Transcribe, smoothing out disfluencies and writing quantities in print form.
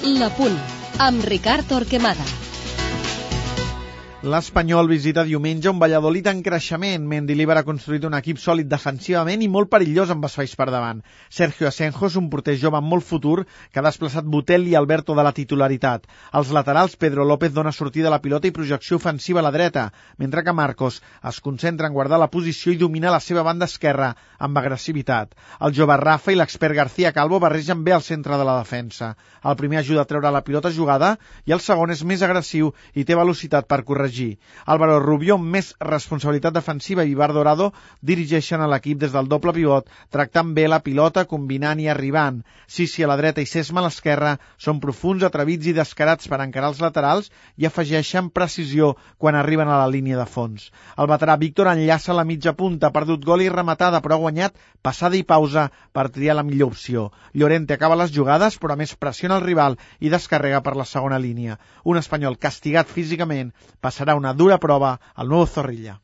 L'Apunt, amb Ricard Torquemada. L'Espanyol visita diumenge un Valladolid en creixement. Mendilibar ha construït un equip sòlid defensivament i molt perillós amb espais per davant. Sergio Asenjo és un porter jove amb molt futur que ha desplaçat Botelli i Alberto de la titularitat. Als laterals, Pedro López dona sortida a la pilota i projecció ofensiva a la dreta, mentre que Marcos es concentra en guardar la posició i dominar la seva banda esquerra amb agressivitat. El jove Rafa i l'expert García Calvo barregen bé al centre de la defensa. El primer ajuda a treure la pilota jugada i el segon és més agressiu i té velocitat per corregir. Álvaro Rubio, amb més responsabilitat defensiva, i Ibar Dorado dirigeixen a l'equip des del doble pivot, tractant bé la pilota, combinant i arribant. Sissi a la dreta i Sesma a l'esquerra són profuns, atrevits i descarats per encarar els laterals i afegeixen precisió quan arriben a la línia de fons. El veterà Víctor enllaça la mitja punta, ha perdut gol i rematada, però ha guanyat passada i pausa per triar la millor opció. Llorente acaba les jugades, però a més pressiona el rival i descarrega per la segona línia. Un Espanyol castigat físicament passarà una dura prova al Nou Zorrilla.